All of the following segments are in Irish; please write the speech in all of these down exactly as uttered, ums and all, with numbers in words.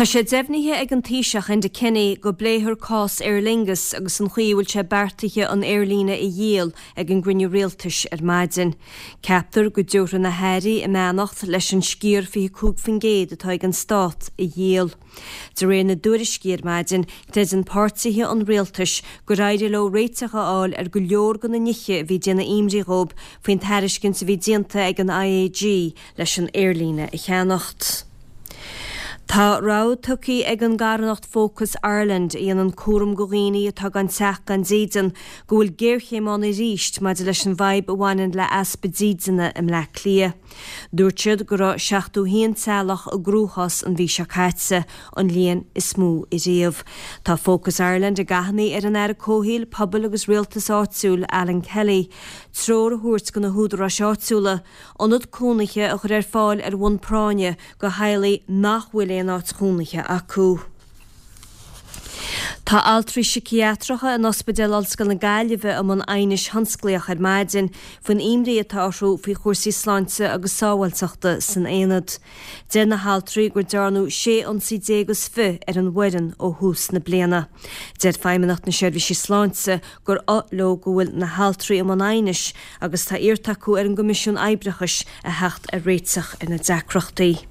Tá sé deimhnithe ag an Taoiseach Enda Kenny go bpléifear cás Aer Lingus agus an chaoi a bhfuil sé beartaithe an aerlíne a dhíol ag an gcruinniú rialtais ar maidin. Ceaptar go dtabharfaidh na hairí a mbeannacht leis an sciar fiche cúig faoin gcéad atá ag an stát a dhíol. De réir na dtuairiscí ar maidin, creideann páirtithe an rialtais gur éirigh leo réiteach a fháil ar go leor de na nithe a bhí ag déanamh imní dóibh faoin tairiscint a bhí déanta ag an IAG leis an aerlíne a cheannacht. Tá rabhadh tugtha ag an gcarthanacht Focus Ireland a dhéanann cúram do dhaoine atá gan teach gan dídean go bhfuil géarchéim ann arís maidir leis an bhfadhb a bhaineann le easpa dídine i mBleá Cliath. Dúirt siad go raibh seachtó haon teaghlach i gcruachás an mhí seo caite, an líon is mó riamh. Tá Focus Ireland ag achainí ar an Aire Comhshaoil, Pobail agus Rialtais Áitiúil Alan Kelly treoir a thabhairt do na húdaráis áitiúla, ionad cónaithe a chur ar fáil ar bhonn práinne do theaghlaigh nach bhfuil aon áit chónaithe acu. Tá altraí síciatracha in Ospidéal Ollscoil na Gaillimhe i mbun aighnis thionsclaíoch ar maidin faoin imní atá orthu faoi chúrsaí sláinte agus sábháilteachta san aonad. Deir na haltraí gur dearnadh sé ionsaí déag is fiche ar an bhfoireann ó thús na bliana. Deir Feidhmeannacht na Seirbhísí Sláinte gur oth leo go bhfuil na haltraí i mbun aighnis agus tá iarrtha acu ar an gCoimisiún Oibreachais a theacht ar réiteach ar na deacrachtaí.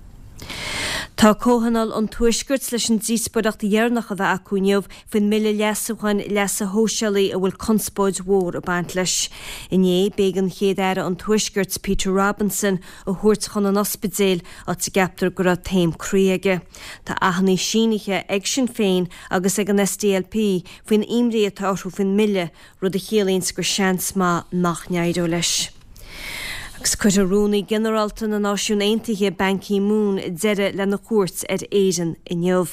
Tá Comhthionól an Tuaiscirt leis an díospóireacht dheireanach a bheith acu inniu faoin mbille leasúcháin leasa shóisialaigh a bhfuil conspóid mhór ag baint leis. Inné b'éigean Chéad-Aire an Tuaiscirt Peter Robinson a thabhairt chun an ospidéil áit a gceaptar go raibh taom croí aige. Tá achainí sínithe ag Sinn Féin agus ag an SDLP faoin imní atá orthu faoin mbille, rud a chiallaíonn gur seans maith nach n-éireoidh leis. Agus cuirfidh Rúnaí Ginearálta na Náisiún Aontaithe Ban Ki-moon deireadh lena chuairt ar Éirinn inniu.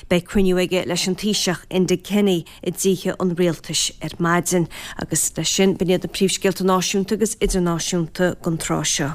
Beidh cruinniú aige leis an Taoiseach Enda Kenny i dTithe an Rialtais ar maidin, agus leis sin b'in iad na príomhscéalta náisiúnta agus idirnáisiúnta don tráth seo.